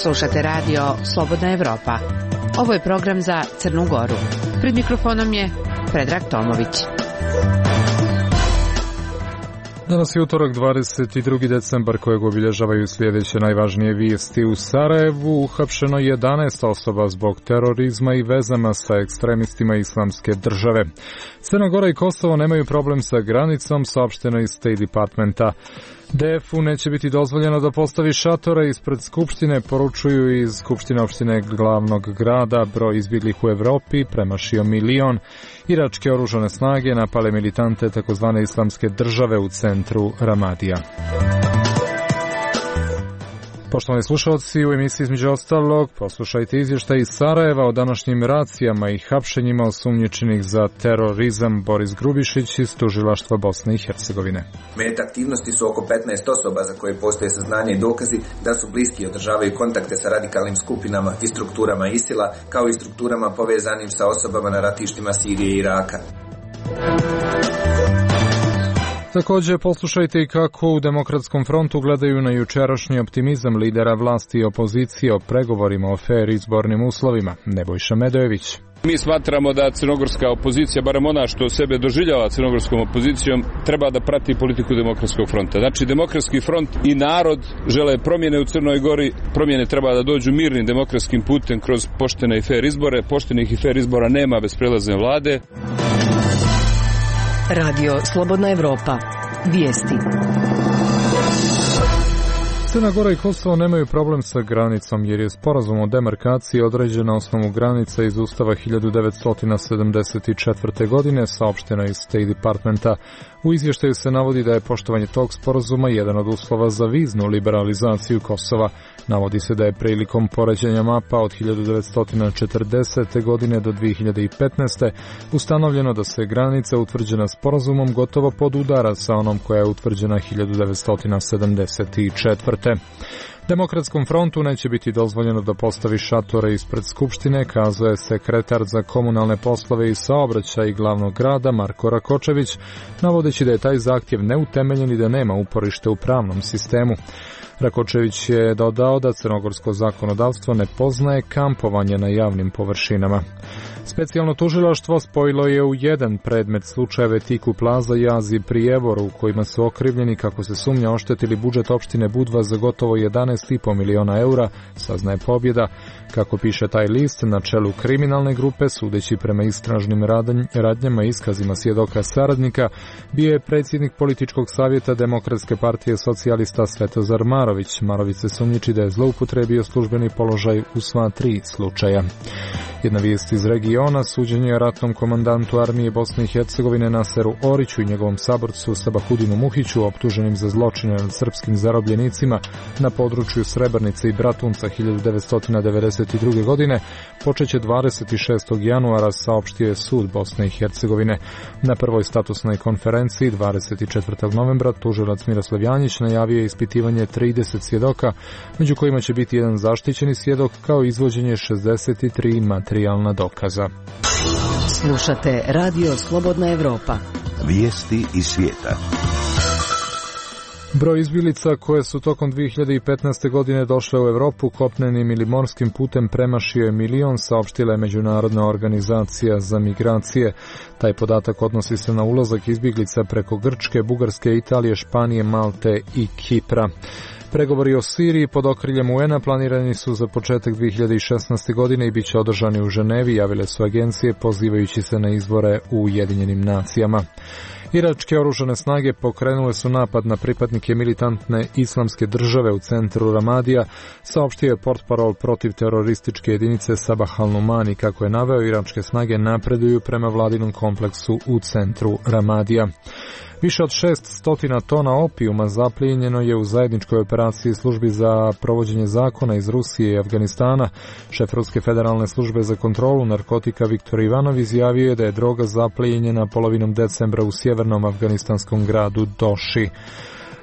Slušate radio Slobodna Evropa. Ovo je program za Crnu Goru. Pred mikrofonom je Predrag Tomović. Danas je utorak 22. decembar kojeg obilježavaju sljedeće najvažnije vijesti. U Sarajevu uhapšeno 11 osoba zbog terorizma i vezama sa ekstremistima Islamske države. Crna Gora i Kosovo nemaju problem sa granicom, saopšteno iz State Departmenta. DF-u neće biti dozvoljeno da postavi šatore ispred Skupštine, poručuju iz Skupštine opštine glavnog grada. Broj izbjeglih u Evropi premašio 1 milion. Iračke oružane snage napale militante takozvane Islamske države u centru Ramadija. Poštovani slušalci, u emisiji između ostalog poslušajte izvještaj iz Sarajeva o današnjim racijama i hapšenjima osumnjičenih za terorizam. Boris Grubišić iz Tužilaštva Bosne i Hercegovine. Meta aktivnosti su oko 15 osoba za koje postoje saznanja i dokazi da su bliski i održavaju kontakte sa radikalnim skupinama i strukturama ISIL-a, kao i strukturama povezanim sa osobama na ratištima Sirije i Iraka. Također poslušajte i kako u Demokratskom frontu gledaju na jučerašnji optimizam lidera vlasti i opozicije o pregovorima o fer izbornim uslovima. Nebojša Medojević. Mi smatramo da crnogorska opozicija, barem ona što sebe doživljava crnogorskom opozicijom, treba da prati politiku Demokratskog fronta. Znači, Demokratski front i narod žele promjene u Crnoj Gori. Promjene treba da dođu mirnim demokratskim putem kroz poštene i fer izbore. Poštenih i fer izbora nema bez prelazne vlade. Radio Slobodna Evropa. Vijesti. Crna Gora i Kosovo nemaju problem sa granicom jer je sporazum o demarkaciji određen na osnovu granica iz Ustava 1974. godine, saopšteno iz State Departmenta. U izvještaju se navodi da je poštovanje tog sporazuma jedan od uslova za viznu liberalizaciju Kosova. Navodi se da je prilikom poređenja mapa od 1940. godine do 2015. ustanovljeno da se granica utvrđena sporazumom gotovo podudara sa onom koja je utvrđena 1974. Demokratskom frontu neće biti dozvoljeno da postavi šatore ispred Skupštine, kazao je sekretar za komunalne poslove i saobraćaj glavnog grada Marko Rakočević, navodeći da je taj zahtjev neutemeljen i da nema uporište u pravnom sistemu. Rakočević je dodao da crnogorsko zakonodavstvo ne poznaje kampovanje na javnim površinama. Specijalno tužilaštvo spojilo je u jedan predmet slučajeve Tiku Plaza i Azije Prijevoru u kojima su okrivljeni, kako se sumnja, oštetili budžet opštine Budva za gotovo 11,5 miliona eura, saznaje Pobjeda. Kako piše taj list, na čelu kriminalne grupe, sudeći prema istražnim radnjama i iskazima svjedoka saradnika, bio je predsjednik političkog savjeta Demokratske partije socijalista Svetozar Marović. Marović se sumnjiči da je zloupotrebio službeni položaj u sva 3 slučaja. Jedna vijest iz regiona, suđenje ratnom komandantu armije Bosne i Hercegovine Naseru Oriću i njegovom saborcu Sabahudinu Muhiću, optuženim za zločine nad srpskim zarobljenicima na području Srebrnice i Bratunca 1992. godine, počeće 26. januara, saopštio je sud Bosne i Hercegovine. Na prvoj statusnoj konferenciji 24. novembra tužilac Miroslav Janjić najavio je ispitivanje 30 svjedoka, među kojima će biti jedan zaštićeni svjedok, kao izvođenje 63 materijalna dokaza. Slušate Radio Slobodna Evropa. Vijesti iz svijeta. Broj izbjeglica koje su tokom 2015. godine došle u Europu kopnenim ili morskim putem premašio je 1 milion, saopštila je Međunarodna organizacija za migracije. Taj podatak odnosi se na ulazak izbjeglica preko Grčke, Bugarske, Italije, Španije, Malte i Kipra. Pregovori o Siriji pod okriljem UN-a planirani su za početak 2016. godine i bit će održani u Ženevi, javile su agencije pozivajući se na izbore u Ujedinjenim nacijama. Iračke oružane snage pokrenule su napad na pripadnike militantne Islamske države u centru Ramadija, saopštio je portparol protiv terorističke jedinice Sabah al-Numani. Kako je naveo, iračke snage napreduju prema vladinom kompleksu u centru Ramadija. Više od 600 tona opijuma zaplijenjeno je u zajedničkoj operaciji službi za provođenje zakona iz Rusije i Afganistana. Šef Ruske federalne službe za kontrolu narkotika Viktor Ivanov izjavio je da je droga zaplijenjena polovinom decembra u sjevernom afganistanskom gradu Doši.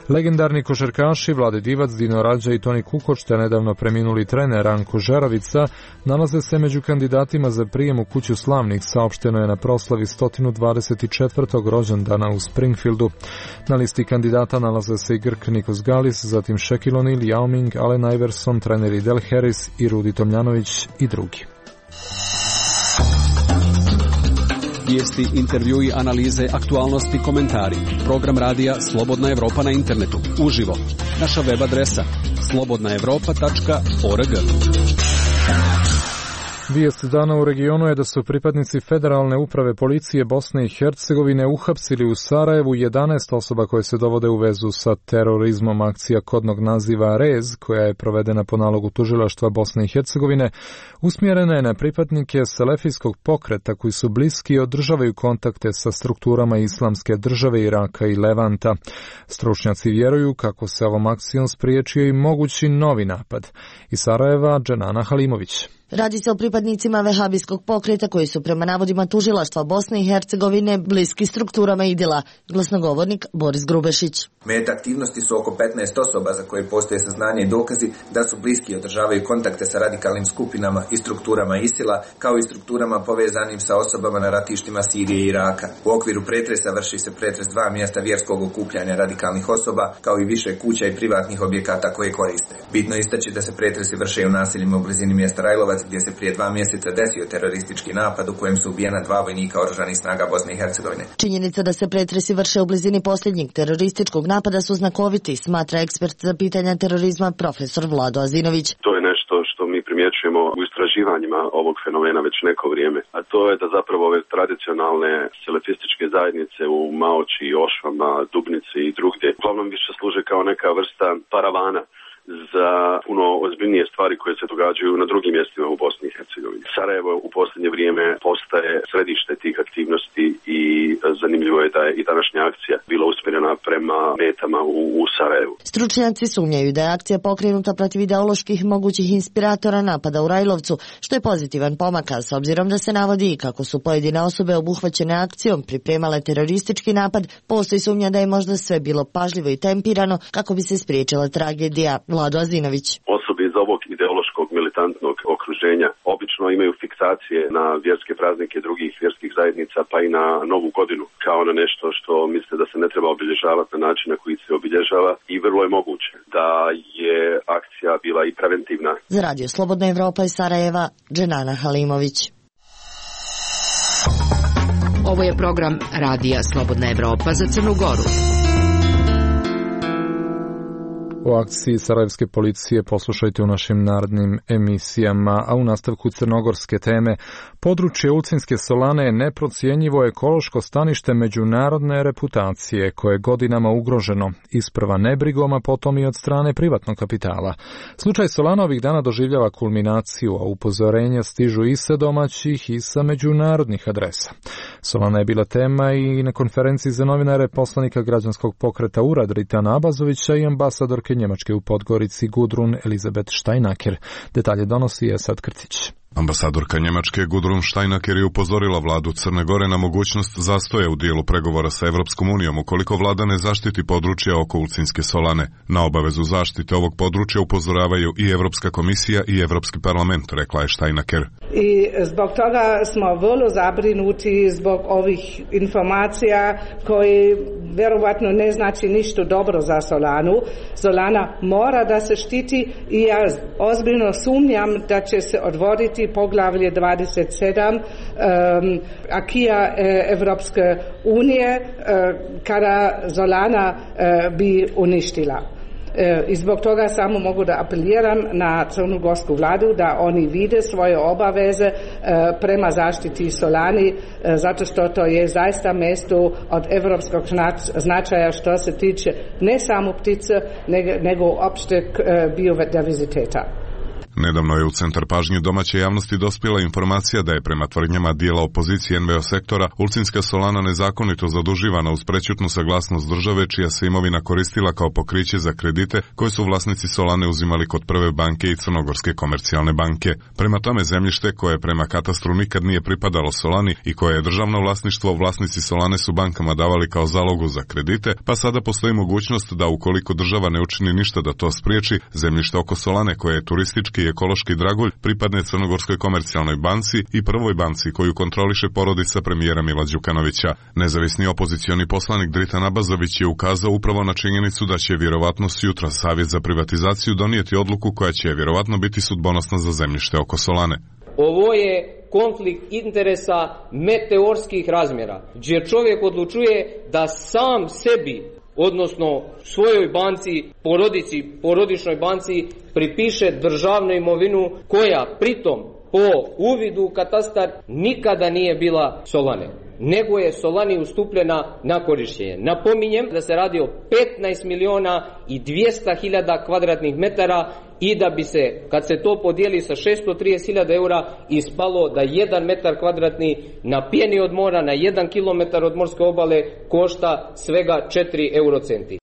Legendarni košarkaši Vlade Divac, Dino Rađa i Toni Kukoč, te nedavno preminuli trener Ranko Žeravica, nalaze se među kandidatima za prijem u kuću slavnih, saopšteno je na proslavi 124. rođendana u Springfieldu. Na listi kandidata nalaze se i Grk Nikos Galis, zatim Shaquille O'Neal, Yao Ming, Allen Iverson, treneri Del Harris i Rudi Tomljanović i drugi. Vijesti, intervjui, analize, aktualnosti, komentari. Program radija Slobodna Evropa na internetu. Uživo. Naša web adresa slobodnaevropa.org. Vijest dana u regionu je da su pripadnici Federalne uprave policije Bosne i Hercegovine uhapsili u Sarajevu 11 osoba koje se dovode u vezu sa terorizmom. Akcija kodnog naziva REZ, koja je provedena po nalogu tužilaštva Bosne i Hercegovine, usmjerena je na pripadnike selefijskog pokreta koji su bliski i održavaju kontakte sa strukturama Islamske države, Iraka i Levanta. Stručnjaci vjeruju kako se ovom akcijom spriječio i mogući novi napad. Iz Sarajeva, Dženana Halimović. Radi se o pripadnicima vehabijskog pokreta koji su prema navodima tužilaštva Bosne i Hercegovine bliski strukturama IDIL-a. Glasnogovornik Boris Grubešić. Meta aktivnosti su oko 15 osoba za koje postoje saznanje i dokazi da su bliski i održavaju kontakte sa radikalnim skupinama i strukturama ISIL-a, kao i strukturama povezanim sa osobama na ratištima Sirije i Iraka. U okviru pretresa vrši se pretres 2 mjesta vjerskog okupljanja radikalnih osoba, kao i više kuća i privatnih objekata koje koriste. Bitno istaći da se pretresi vrše u naseljima u blizini mjesta Rajlovac, gdje se prije 2 mjeseca desio teroristički napad u kojem su ubijena 2 vojnika oružanih snaga Bosne i Hercegovine. Činjenica da se pretresi vrše u blizini posljednjeg terorističkog napada su znakoviti, smatra ekspert za pitanja terorizma profesor Vlado Azinović. To je nešto što mi primjećujemo u istraživanjima ovog fenomena već neko vrijeme, a to je da zapravo ove tradicionalne selefističke zajednice u Maoči, Ošvama, Dubnici i drugdje uglavnom više služe kao neka vrsta paravana za puno ozbiljnije stvari koje se događaju na drugim mjestima u Bosni i Hercegovini. Sarajevo u posljednje vrijeme postaje središte tih aktivnosti i zanimljivo je da je i današnja akcija bila usmjerena prema metama u Sarajevu. Stručnjaci sumnjaju da je akcija pokrenuta protiv ideoloških mogućih inspiratora napada u Rajlovcu, što je pozitivan pomak, s obzirom da se navodi i kako su pojedine osobe obuhvaćene akcijom pripremale teroristički napad, postoji sumnja da je možda sve bilo pažljivo i tempirano kako bi se spriječila tragedija. Vlado Azinović. Osobe iz ovog ideološkog militantnog okruženja obično imaju fiksacije na vjerske praznike drugih vjerskih zajednica, pa i na Novu godinu, kao na nešto što misle da se ne treba obilježavati na način na koji se obilježava, i vrlo je moguće da je akcija bila i preventivna. Za radio Slobodna Evropa iz Sarajeva, Dženana Halimović. Ovo je program radija Slobodna Evropa za Crnu Goru. O akciji sarajevske policije poslušajte u našim narednim emisijama, a u nastavku crnogorske teme područje Ulcinske solane je neprocjenjivo ekološko stanište međunarodne reputacije koje je godinama ugroženo, isprva nebrigom, a potom i od strane privatnog kapitala. Slučaj Solana ovih dana doživljava kulminaciju, a upozorenja stižu i sa domaćih i sa međunarodnih adresa. Solana je bila tema i na konferenciji za novinare poslanika građanskog pokreta URAD Ritana Abazovića i ambasadorke Njemačke u Podgorici Gudrun Elizabeth Steinaker. Detalje donosi Esad Krcić. Ambasadorka Njemačke Gudrun Steinaker je upozorila vladu Crne Gore na mogućnost zastoja u dijelu pregovora sa Evropskom unijom ukoliko vlada ne zaštiti područje oko Ulcinske solane. Na obavezu zaštite ovog područja upozoravaju i Evropska komisija i Evropski parlament, rekla je Steinaker. I zbog toga smo vrlo zabrinuti zbog ovih informacija koji vjerovatno ne znači ništa dobro za Solanu. Solana mora da se štiti i ja ozbiljno sumnjam da će se odvoditi poglavlje 27 akija Evropske unije kada Solana bi uništila. I zbog toga samo mogu da apeliram na crnogorsku vladu da oni vide svoje obaveze prema zaštiti Solani, zato što to je zaista mjesto od evropskog značaja što se tiče ne samo ptice, nego opšte biodiverziteta. Nedavno je u centar pažnje domaće javnosti dospjela informacija da je prema tvrdnjama dijela opozicije NVO sektora Ulcinska solana nezakonito zaduživana uz prećutnu saglasnost države čija se imovina koristila kao pokriće za kredite koje su vlasnici solane uzimali kod Prve banke i Crnogorske komercijalne banke. Prema tome zemljište koje prema katastru nikad nije pripadalo solani i koje je državno vlasništvo, vlasnici solane su bankama davali kao zalogu za kredite, pa sada postoji mogućnost da ukoliko država ne učini ništa da to spriječi, zemljište oko solane koje je turistički i ekološki dragulj pripadne Crnogorskoj komercijalnoj banci i Prvoj banci koju kontroliše porodica premijera Mila Đukanovića. Nezavisni opozicioni poslanik Dritan Abazović je ukazao upravo na činjenicu da će vjerovatno sutra Savjet za privatizaciju donijeti odluku koja će vjerovatno biti sudbonosna za zemljište oko solane. Ovo je konflikt interesa meteorskih razmjera, gdje čovjek odlučuje da sam sebi, odnosno svojoj banci, porodičnoj banci, pripiše državnu imovinu koja pritom po uvidu u katastar nikada nije bila solane, nego je solani ustupljena na korištenje. Napominjem da se radi o 15.200.000 kvadratnih metara i da bi se, kad se to podijeli sa 630.000 eura, ispalo da 1 metar kvadratni na pjeni od mora, na 1 kilometar od morske obale košta svega 4 eurocenti.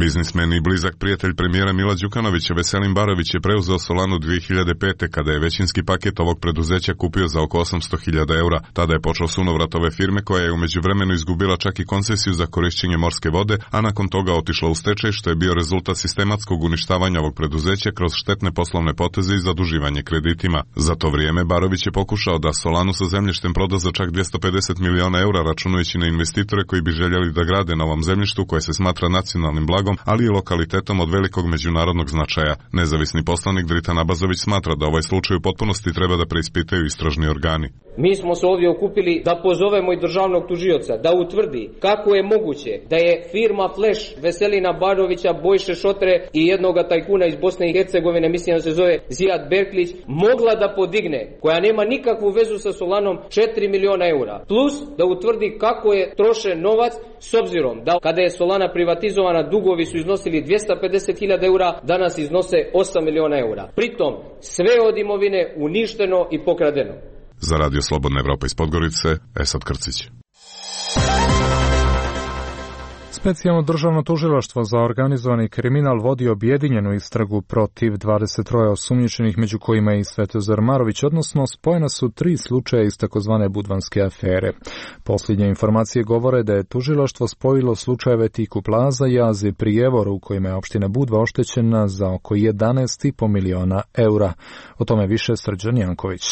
Biznismen i blizak prijatelj premijera Mila Đukanovića Veselin Barović je preuzeo Solanu 2005. kada je većinski paket ovog preduzeća kupio za oko 800.000 eura. Tada je počeo sunovrat ove firme koja je u međuvremenu izgubila čak i koncesiju za korišćenje morske vode, a nakon toga otišla u stečaj što je bio rezultat sistematskog uništavanja ovog preduzeća kroz štetne poslovne poteze i zaduživanje kreditima. Za to vrijeme Barović je pokušao da Solanu sa zemljištem proda za čak 250 miliona eura računajući na investitore koji bi željeli da grade na ovom zemljištu koje se smatra nacionalnim blagom, ali i lokalitetom od velikog međunarodnog značaja. Nezavisni poslanik Dritan Abazović smatra da ovaj slučaj u potpunosti treba da preispitaju istražni organi. Mi smo se ovdje okupili da pozovemo i državnog tužioca da utvrdi kako je moguće da je firma Flash Veselina Barovića, Bojše Šotre i jednoga tajkuna iz Bosne i Hercegovine, mislim da se zove Zijad Berklić, mogla da podigne, koja nema nikakvu vezu sa Solanom, 4 miliona eura. Plus da utvrdi kako je trošen novac, s obzirom da kada je Solana privatizovana dugovi su iznosili 250.000 eura, danas iznose 8 miliona eura. Pritom sve od imovine uništeno i pokradeno. Za Radio Slobodna Evropa iz Podgorice, Esad Krcić. Specijalno državno tužilaštvo za organizovani kriminal vodi objedinjenu istragu protiv 23 osumnjičenih, među kojima je i Svetozar Marović, odnosno spojena su 3 slučaja iz takozvane budvanske afere. Posljednje informacije govore da je tužilaštvo spojilo slučajeve Tiku Plaza, Jaz i Prijevor, u kojima je opština Budva oštećena za oko 11,5 miliona eura. O tome više Srđan Janković.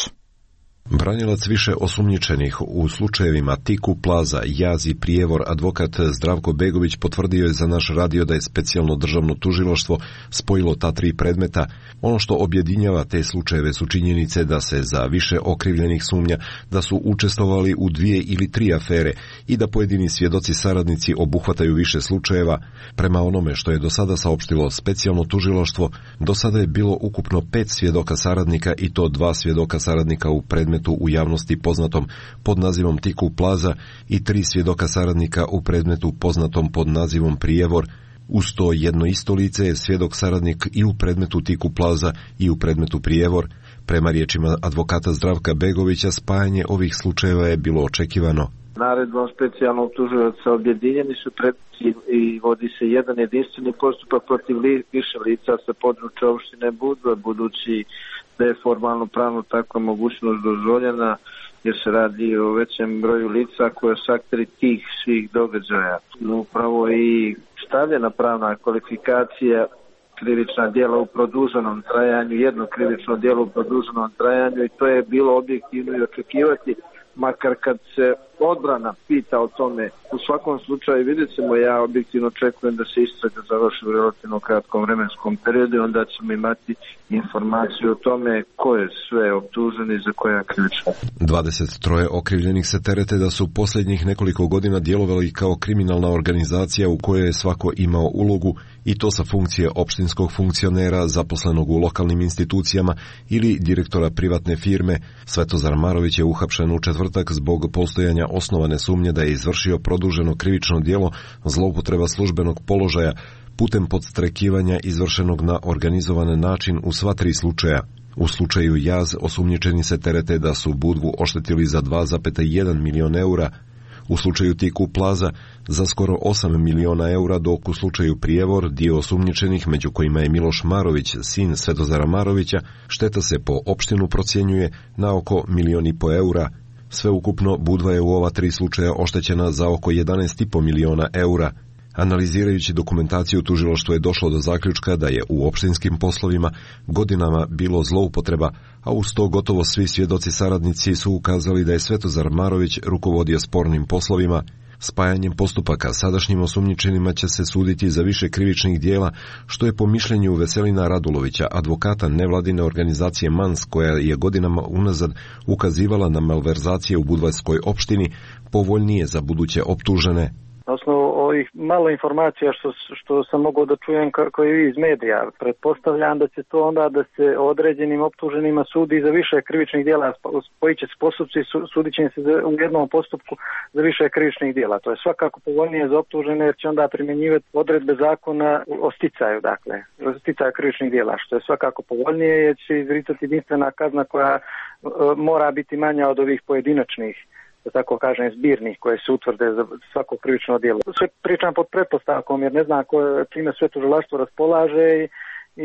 Branilac više osumnjičenih u slučajevima Tiku Plaza, Jaz i Prijevor, advokat Zdravko Begović, potvrdio je za naš radio da je specijalno državno tužilaštvo spojilo ta 3 predmeta. Ono što objedinjava te slučajeve su činjenice da se za više okrivljenih sumnja da su učestvovali u 2 ili 3 afere i da pojedini svjedoci saradnici obuhvataju više slučajeva. Prema onome što je do sada saopštilo specijalno tužilaštvo, do sada je bilo ukupno 5 svjedoka saradnika i to 2 svjedoka saradnika u predmetu u javnosti poznatom pod nazivom Tiku Plaza i 3 svjedoka saradnika u predmetu poznatom pod nazivom Prijevor. Uz to jedno isto lice je svjedok saradnik i u predmetu Tiku Plaza i u predmetu Prijevor. Prema riječima advokata Zdravka Begovića, spajanje ovih slučajeva je bilo očekivano. Naredbom specijalnog tužioca objedinjeni su predmeti i vodi se jedan jedinstveni postupak protiv više lica sa područja opštine Budva, budući da je formalno pravno takva mogućnost dozvoljena jer se radi o većem broju lica koje su akteri tih svih događaja. Upravo i stavljena pravna kvalifikacija krivična djela u produženom trajanju, jedno krivično djelo u produženom trajanju, i to je bilo objektivno i očekivati, makar kad se odbrana pita o tome. U svakom slučaju vidjet ćemo, ja objektivno očekujem da se istraga završi u relativno kratkom vremenskom periodu i onda ćemo imati informaciju o tome ko je sve optužen i za koja krivična. 23 okrivljenih se terete da su posljednjih nekoliko godina djelovali kao kriminalna organizacija u kojoj je svako imao ulogu, i to sa funkcije opštinskog funkcionera zaposlenog u lokalnim institucijama ili direktora privatne firme. Svetozar Marović je uhapšen u četvrtak zbog postojanja osnovane sumnje da je izvršio produženo krivično djelo zloupotreba službenog položaja putem podstrekivanja izvršenog na organizovan način u sva 3 slučaja. U slučaju Jaz osumnjičeni se terete da su Budvu oštetili za 2,1 milion eura, u slučaju Tiku Plaza za skoro 8 miliona eura, dok u slučaju Prijevor dio osumnjičenih, među kojima je Miloš Marović, sin Svetozara Marovića, šteta se po opštinu procjenjuje na oko 1,5 miliona eura. Sveukupno Budva je u ova 3 slučaja oštećena za oko 11,5 miliona eura. Analizirajući dokumentaciju, tužilaštvo je došlo do zaključka da je u opštinskim poslovima godinama bilo zloupotreba, a uz to gotovo svi svjedoci saradnici su ukazali da je Svetozar Marović rukovodio spornim poslovima. Spajanjem postupaka sadašnjim osumnjičenima će se suditi za više krivičnih dijela, što je po mišljenju Veselina Radulovića, advokata nevladine organizacije MANS, koja je godinama unazad ukazivala na malverzacije u budvarskoj opštini, povoljnije za buduće optužene. Na osnovu ovih malo informacija što sam mogao da čujem koji iz medija, pretpostavljam da će to onda da se određenim optuženima sudi za više krivičnih djela, spojit će se postupci i sudit će se u jednom postupku za više krivičnih djela. To je svakako povoljnije za optužene jer će onda primjenjivati odredbe zakona o sticaju, dakle, o sticaju krivičnih djela, što je svakako povoljnije jer će izricati jedinstvena kazna koja mora biti manja od ovih pojedinačnih, da tako kažem, zbirnih koje se utvrde za svako krivično djelo. Sve pričam pod pretpostavkom jer ne znam čime sve tužilaštvo raspolaže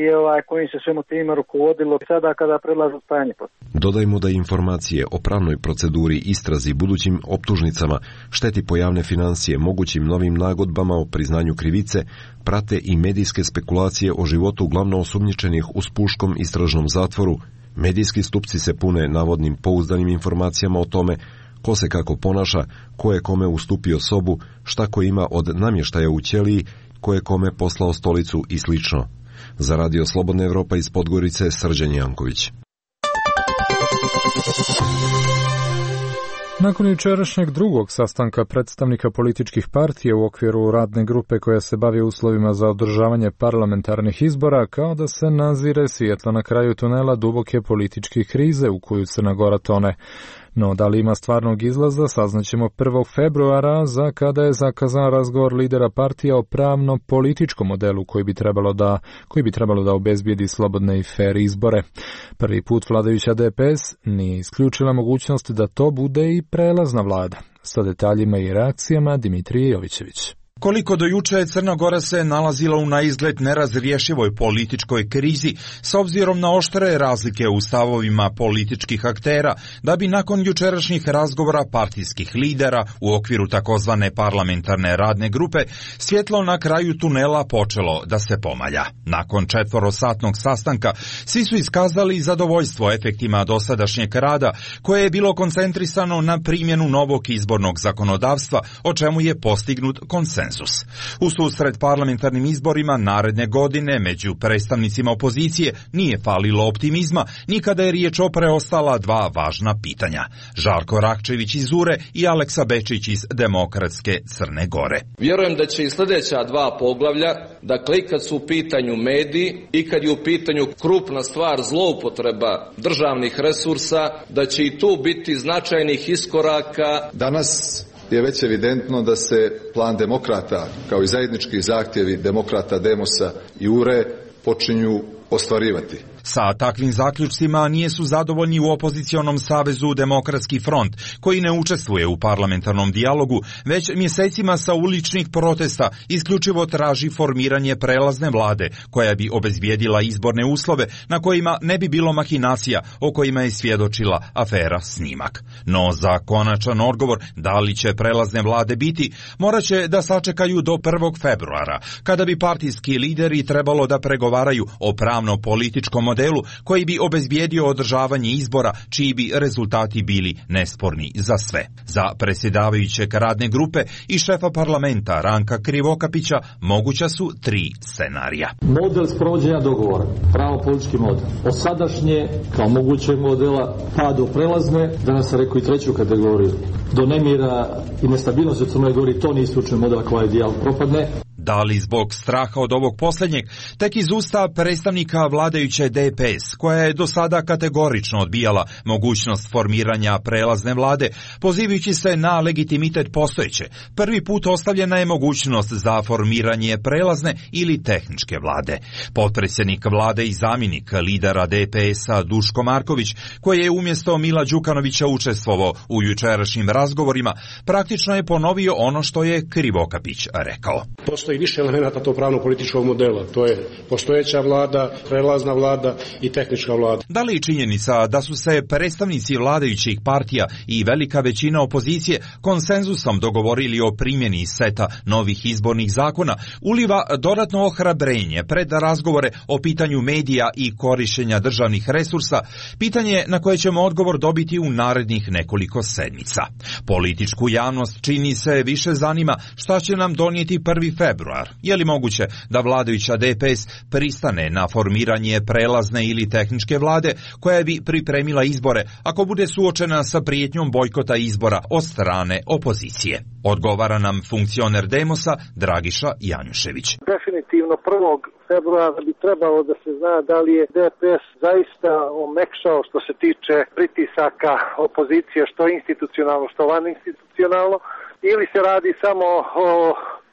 i kojim se svemu time rukovodilo sada kada predlažu spajanje postupka. Dodajmo da informacije o pravnoj proceduri, istrazi, budućim optužnicama, šteti po javne financije, mogućim novim nagodbama o priznanju krivice, prate i medijske spekulacije o životu glavno osumnjičenih u Spuškom istražnom zatvoru. Medijski stupci se pune navodnim pouzdanim informacijama o tome ko se kako ponaša, ko je kome ustupio sobu, šta ko ima od namještaja u ćeliji, ko je kome poslao stolicu i slično. Za Radio Slobodna Evropa iz Podgorice, Srđan Janković. Nakon jučerašnjeg drugog sastanka predstavnika političkih partija u okviru radne grupe koja se bavi uslovima za održavanje parlamentarnih izbora, kao da se nazire svjetlo na kraju tunela duboke političke krize u koju Crna Gora tone. No, da li ima stvarnog izlaza, saznaćemo 1. februara, za kada je zakazan razgovor lidera partija o pravno-političkom modelu koji bi trebalo da obezbijedi slobodne i fer izbore. Prvi put vladajuća DPS nije isključila mogućnost da to bude i prelazna vlada. Sa detaljima i reakcijama Dimitrije Jovićević. Koliko do juče Crna Gora se nalazila u naizgled nerazriješivoj političkoj krizi s obzirom na oštre razlike u stavovima političkih aktera, da bi nakon jučerašnjih razgovora partijskih lidera u okviru takozvane parlamentarne radne grupe svjetlo na kraju tunela počelo da se pomalja. Nakon 4-satnog sastanka svi su iskazali zadovoljstvo efektima dosadašnjeg rada koje je bilo koncentrisano na primjenu novog izbornog zakonodavstva, o čemu je postignut konsenzus. U susret parlamentarnim izborima naredne godine među predstavnicima opozicije nije falilo optimizma ni kada je riječ o preostala dva važna pitanja. Žarko Rakčević iz URE i Aleksa Bečić iz Demokratske Crne Gore. Vjerujem da će i sljedeća dva poglavlja, dakle i kad su u pitanju mediji i kad je u pitanju krupna stvar zloupotreba državnih resursa, da će i tu biti značajnih iskoraka. Danas je već evidentno da se plan demokrata, kao i zajednički zahtjevi demokrata Demosa i URE, počinju ostvarivati. Sa takvim zaključcima nije su zadovoljni u opozicionom savezu Demokratski front, koji ne učestvuje u parlamentarnom dijalogu, već mjesecima sa uličnih protesta isključivo traži formiranje prelazne vlade, koja bi obezbijedila izborne uslove na kojima ne bi bilo mahinacija o kojima je svjedočila afera Snimak. No za konačan odgovor da li će prelazne vlade biti, morat će da sačekaju do 1. februara, kada bi partijski lideri trebalo da pregovaraju o pravno-političkom modelu koji bi obezbijedio održavanje izbora čiji bi rezultati bili nesporni za sve. Za predsjedavajućeg radne grupe i šefa parlamenta Ranka Krivokapića moguća su 3 scenarija. Model sprovođenja dogovora, pravno-politički model. Od sadašnje kao mogućeg modela pa do prelazne, danas sam rekao i 3. kategoriju, do nemira i nestabilnosti u Crnoj Gori, to nije slučaj modela koji dijalog propadne. Da li zbog straha od ovog posljednjeg, tek iz usta predstavnika vladajuće DPS, koja je do sada kategorično odbijala mogućnost formiranja prelazne vlade, pozivajući se na legitimitet postojeće, prvi put ostavljena je mogućnost za formiranje prelazne ili tehničke vlade. Potpredsjednik vlade i zamjenik lidera DPS-a Duško Marković, koji je umjesto Mila Đukanovića učestvovao u jučerašnjim razgovorima, praktično je ponovio ono što je Krivokapić rekao. Postoji više elemenata tog pravno-političkog modela. To je postojeća vlada, prelazna vlada i tehnička vlada. Da li činjenica da su se predstavnici vladajućih partija i velika većina opozicije konsenzusom dogovorili o primjeni seta novih izbornih zakona uliva dodatno ohrabrenje pred razgovore o pitanju medija i korištenja državnih resursa, pitanje na koje ćemo odgovor dobiti u narednih nekoliko sedmica. Političku javnost čini se više zanima šta će nam donijeti 1. februar. Je li moguće da vladajuća DPS pristane na formiranje prelazne ili tehničke vlade koja bi pripremila izbore ako bude suočena sa prijetnjom bojkota izbora od strane opozicije? Odgovara nam funkcioner Demosa Dragiša Janjušević. Definitivno 1. februara bi trebalo da se zna da li je DPS zaista omekšao što se tiče pritisaka opozicije, što institucionalno, što vaninstitucionalno, ili se radi samo o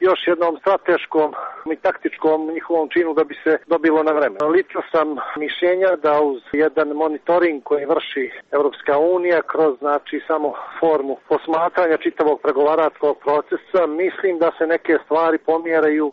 još jednom strateškom i taktičkom njihovom činu da bi se dobilo na vreme. Lično sam mišljenja da uz jedan monitoring koji vrši Europska unija kroz samo formu posmatranja čitavog pregovaračkog procesa, mislim da se neke stvari pomjeraju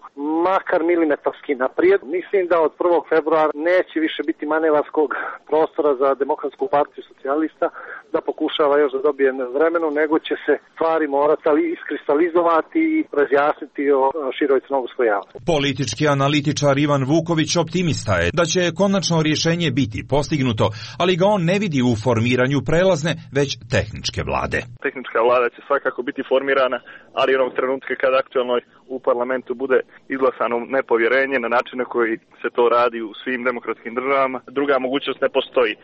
makar milimetarski naprijed. Mislim da od 1. februara neće više biti manevarskog prostora za Demokratsku partiju socijalista da pokušava još da dobije vremenu, nego će se stvari morati iskristalizovati i razjasniti o široj crnogorskoj javnosti. Politički analitičar Ivan Vuković optimista je da će konačno rješenje biti postignuto, ali ga on ne vidi u formiranju prelazne, već tehničke vlade. Tehnička vlada će svakako biti formirana, ali onog trenutka kada aktualnoj u parlamentu bude izglasano nepovjerenje na način na koji se to radi u svim demokratskim državama, druga mogućnost ne postoji.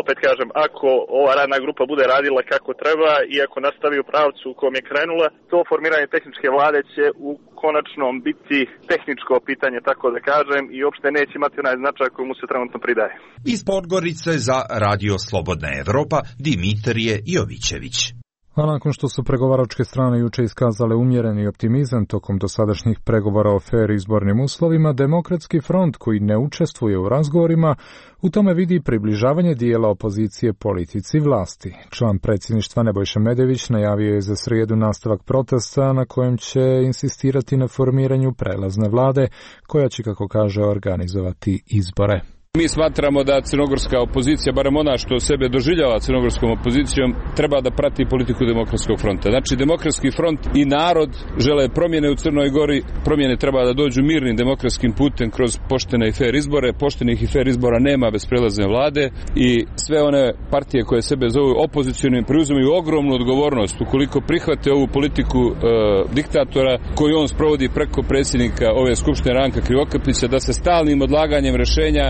Opet kažem, ako ova radna grupa bude radila kako treba i ako nastavi u pravcu u kom je krenula, to formiranje tehničke vlade će u konačnom biti tehničko pitanje, tako da kažem, i uopšte neće imati onaj značaj koji mu se trenutno pridaje. Iz Podgorice za Radio Slobodna Evropa Dimitrije Jovićević. A nakon što su pregovaračke strane juče iskazale umjereni optimizam tokom dosadašnjih pregovora o fer izbornim uslovima, Demokratski front, koji ne učestvuje u razgovorima, u tome vidi približavanje dijela opozicije politici vlasti. Član predsjedništva Nebojša Medević najavio je za srijedu nastavak protesta na kojem će insistirati na formiranju prelazne vlade, koja će, kako kaže, organizovati izbore. Mi smatramo da crnogorska opozicija, barem ona što sebe doživljava crnogorskom opozicijom, treba da prati politiku Demokratskog fronta. Znači, Demokratski front i narod žele promjene u Crnoj Gori, promjene treba da dođu mirnim demokratskim putem kroz poštene i fer izbore. Poštenih i fer izbora nema bez prelazne vlade i sve one partije koje sebe zovu opozicionim preuzimaju ogromnu odgovornost ukoliko prihvate ovu politiku diktatora koju on sprovodi preko predsjednika ove skupštine Ranka Krivokapića, da se stalnim odlaganjem rješenja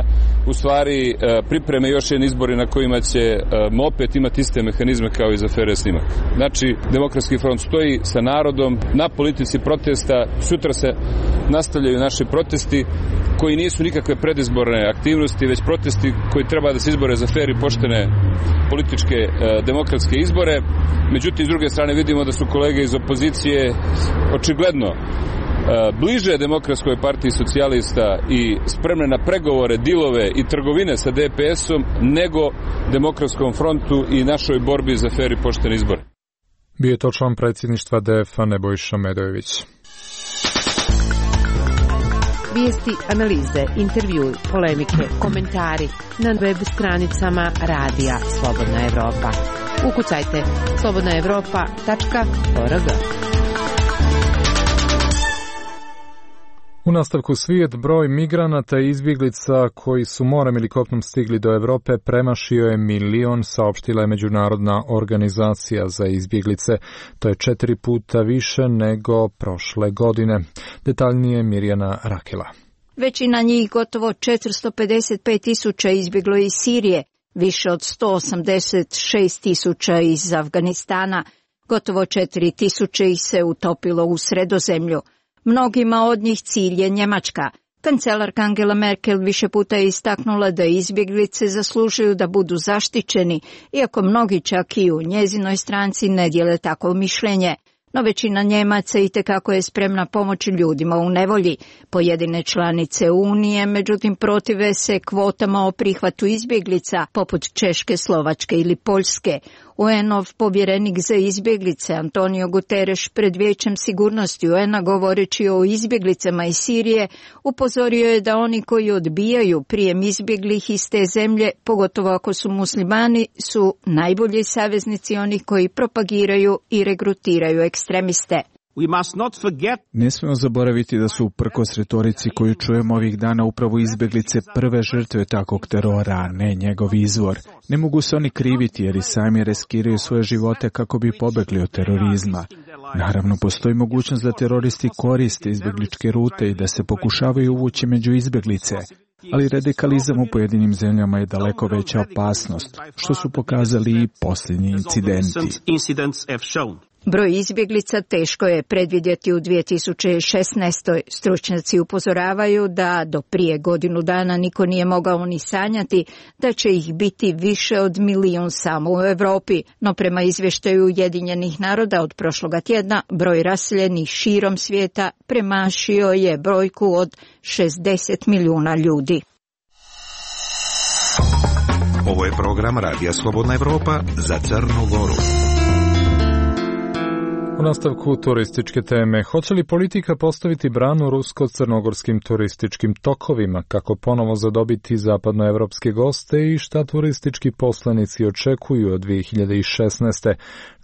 u stvari pripreme još jedan izbori na kojima će opet imati iste mehanizme kao i za afere Snimak. Znači, Demokratski front stoji sa narodom na politici protesta. Sutra se nastavljaju naši protesti koji nisu nikakve predizborne aktivnosti, već protesti koji treba da se izbore za fer i poštene političke demokratske izbore. Međutim, s druge strane vidimo da su kolege iz opozicije očigledno bliže Demokratskoj partiji socijalista i spremne na pregovore, dilove i trgovine sa DPS-om nego Demokratskom frontu i našoj borbi za fer i poštene izbore. Bio je to član predsjedništva DF-a Nebojša Medojević. Vijesti, analize, intervjui, polemike, komentari na web stranicama Radija Slobodna Evropa. Ukucajte slobodnaevropa.org. U nastavku svijet, broj migranata i izbjeglica koji su morem ili kopnom stigli do Europe premašio je 1 milion, saopštila je Međunarodna organizacija za izbjeglice. To je 4 puta više nego prošle godine. Detaljnije Mirjana Rakela. Većina njih, gotovo 455.000, izbjeglo iz Sirije, više od 186.000 iz Afganistana, gotovo 4.000 ih se utopilo u Sredozemlju. Mnogima od njih cilj je Njemačka. Kancelarka Angela Merkel više puta je istaknula da izbjeglice zaslužuju da budu zaštićeni, iako mnogi čak i u njezinoj stranci ne dijele takvo mišljenje. No većina Njemaca itekako je spremna pomoći ljudima u nevolji. Pojedine članice Unije, međutim, protive se kvotama o prihvatu izbjeglica, poput Češke, Slovačke ili Poljske. UN-ov povjerenik za izbjeglice Antonio Guterres pred Vijećem sigurnosti UN-a govoreći o izbjeglicama iz Sirije upozorio je da oni koji odbijaju prijem izbjeglih iz te zemlje, pogotovo ako su muslimani, su najbolji saveznici onih koji propagiraju i regrutiraju ekstremiste. Ne smijemo zaboraviti da su uprkos retorici koju čujemo ovih dana upravo izbjeglice prve žrtve takvog terora, a ne njegov izvor. Ne mogu se oni kriviti jer i sami riskiraju svoje živote kako bi pobegli od terorizma. Naravno, postoji mogućnost da teroristi koriste izbjegličke rute i da se pokušavaju uvući među izbjeglice. Ali radikalizam u pojedinim zemljama je daleko veća opasnost, što su pokazali i posljednji incidenti. Broj izbjeglica teško je predvidjeti u 2016. Stručnjaci upozoravaju da do prije godinu dana niko nije mogao ni sanjati da će ih biti više od 1 milijun samo u Europi, no prema izvještaju Ujedinjenih naroda od prošloga tjedna broj raseljenih širom svijeta premašio je brojku od 60 milijuna ljudi. Ovo je program Radija Slobodna Evropa za Crnu Goru. U nastavku turističke teme, hoće li politika postaviti branu rusko-crnogorskim turističkim tokovima, kako ponovo zadobiti zapadnoevropske goste i šta turistički poslanici očekuju od 2016.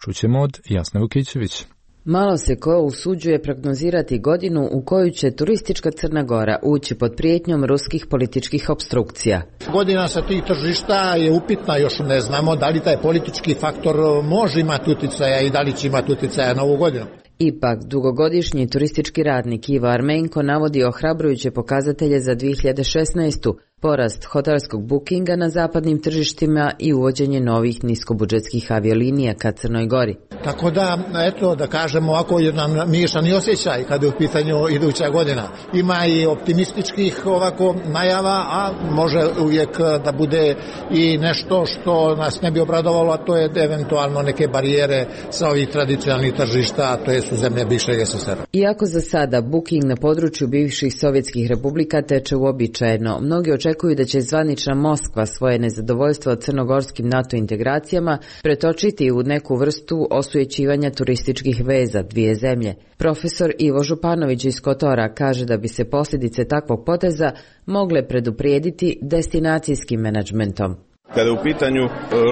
Čućemo od Jasne Vukićević. Malo se ko usuđuje prognozirati godinu u koju će turistička Crna Gora ući pod prijetnjom ruskih političkih opstrukcija. Godina sa tih tržišta je upitna, još ne znamo da li taj politički faktor može imati utjecaja i da li će imati utjecaja na ovu godinu. Ipak, dugogodišnji turistički radnik Ivo Armenko navodi ohrabrujuće pokazatelje za 2016. Porast hotelskog bookinga na zapadnim tržištima i uvođenje novih niskobudžetskih aviolinija ka Crnoj Gori. Tako da, eto, da kažemo, ovako jedan miješani osjećaj kada je u pitanju iduća godina. Ima i optimističkih ovako najava, a može uvijek da bude i nešto što nas ne bi obradovalo, a to je eventualno neke barijere sa ovih tradicionalnih tržišta, a to je su zemlje bivšeg SSR-a. Iako za sada booking na području bivših sovjetskih republika teče uobičajeno, mnogi očekuju da će zvanična Moskva svoje nezadovoljstvo crnogorskim NATO integracijama pretočiti u neku vrstu osujećivanja turističkih veza dvije zemlje. Profesor Ivo Županović iz Kotora kaže da bi se posljedice takvog poteza mogle preduprijediti destinacijskim menadžmentom. Kada je u pitanju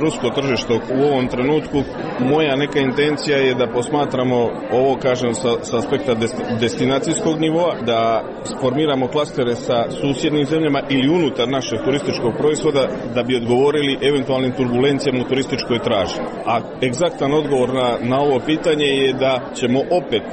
rusko tržište u ovom trenutku, moja neka intencija je da posmatramo ovo, kažem, sa aspekta destinacijskog nivoa, da formiramo klastere sa susjednim zemljama ili unutar našeg turističkog proizvoda da bi odgovorili eventualnim turbulencijama u turističkoj traži. A egzaktan odgovor na ovo pitanje je da ćemo opet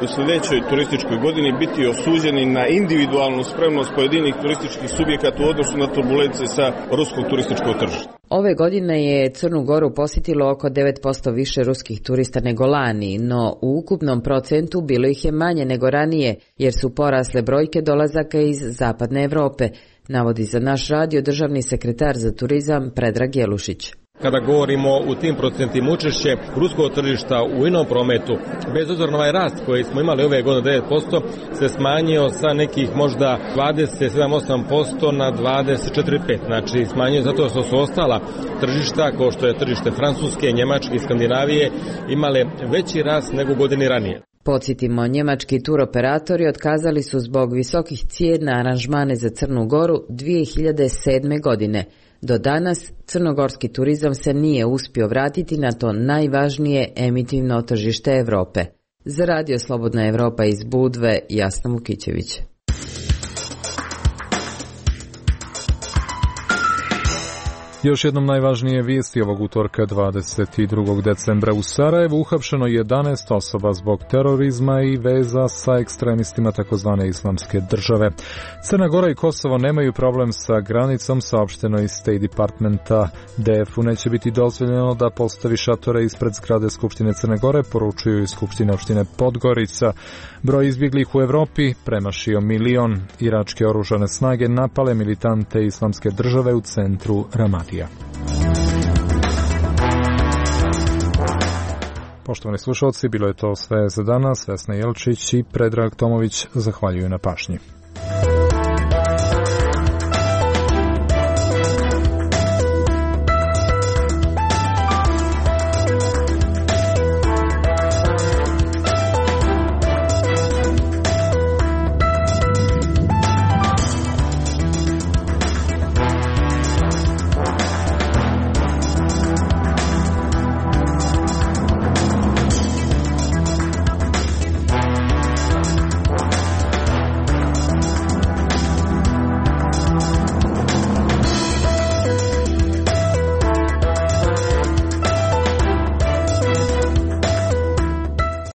u sljedećoj turističkoj godini biti osuđeni na individualnu spremnost pojedinih turističkih subjekata u odnosu na turbulencije sa ruskog turističkog tržišta. Ove godine je Crnu Goru posjetilo oko 9% više ruskih turista nego lani, no u ukupnom procentu bilo ih je manje nego ranije, jer su porasle brojke dolazaka iz zapadne Europe, navodi za naš radio državni sekretar za turizam Predrag Jelušić. Kada govorimo u tim procentima učešće ruskog tržišta u inom prometu, bez obzira na ovaj rast koji smo imali ove godine 9%, se smanjio sa nekih možda 27-8% na 24-5%. Znači smanjio zato što su ostala tržišta, kao što je tržište Francuske, Njemačke i Skandinavije, imale veći rast nego godini ranije. Podsjetimo, njemački turoperatori otkazali su zbog visokih cijena aranžmane za Crnu Goru 2007. godine. Do danas crnogorski turizam se nije uspio vratiti na to najvažnije emitivno tržište Europe. Za Radio Slobodna Evropa iz Budve, Jasna Vukićević. Još jednom najvažnije vijesti ovog utorka 22. decembra u Sarajevu uhapšeno 11 osoba zbog terorizma i veza sa ekstremistima takozvane islamske države. Crna Gora i Kosovo nemaju problem sa granicom, saopšteno iz State Departmenta. DF-u neće biti dozvoljeno da postavi šatore ispred zgrade Skupštine Crne Gore, poručuju iz Skupštine opštine Podgorica. Broj izbjeglih u Evropi premašio 1 milion. Iračke oružane snage napale militante islamske države u centru Ramadija. Poštovani slušalci, bilo je to sve za danas. Vesna Jelčić i Predrag Tomović zahvaljuju na pažnji.